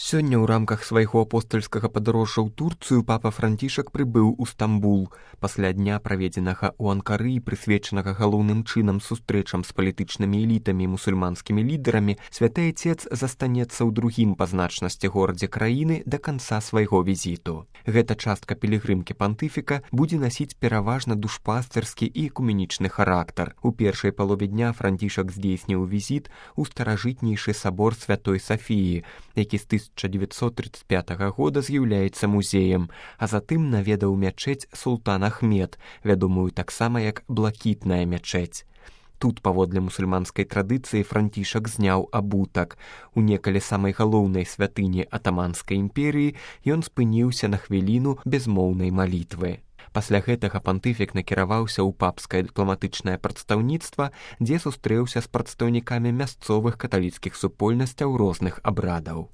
Сёння ў рамках свайго апостальскага падарожжа ў Турцыю папа Францішак прыбыў у Стамбул. Пасля дня, праведзенага ў Анкары і прысвечанага галоўным чынам сустрэчам з палітычнымі элітамі і мусульманскімі лідарамі, святы Айцец застанецца ў другім па значнасці горадзе краіны да канца свайго візіту. Гэта частка пілігрымкі пантыфіка будзе насіць пераважна душпастэрскі і экуменічны характар. У першай палове дня Францішак здзейсніў візіт у старажытнейшы сабор Святой Сафіі, які з 1935 года з'яўляецца музеем, а затым наведаў мячэць Султан Ахмед, вядомую таксама як блакітная мячэць. Тут, паводле мусульманскай традыцыі, Францішак зняў абутак. У некалі самай галоўнай святыні атаманскай імперыі ён спыніўся на хвіліну безмоўнай малітвы. Пасля гэтага пантыфік накіраваўся ў папскае дыпламатычнае прадстаўніцтва, дзе сустрэўся з прадстаўнікамі мясцовых каталіцкіх супольнасцяў розных абрадаў.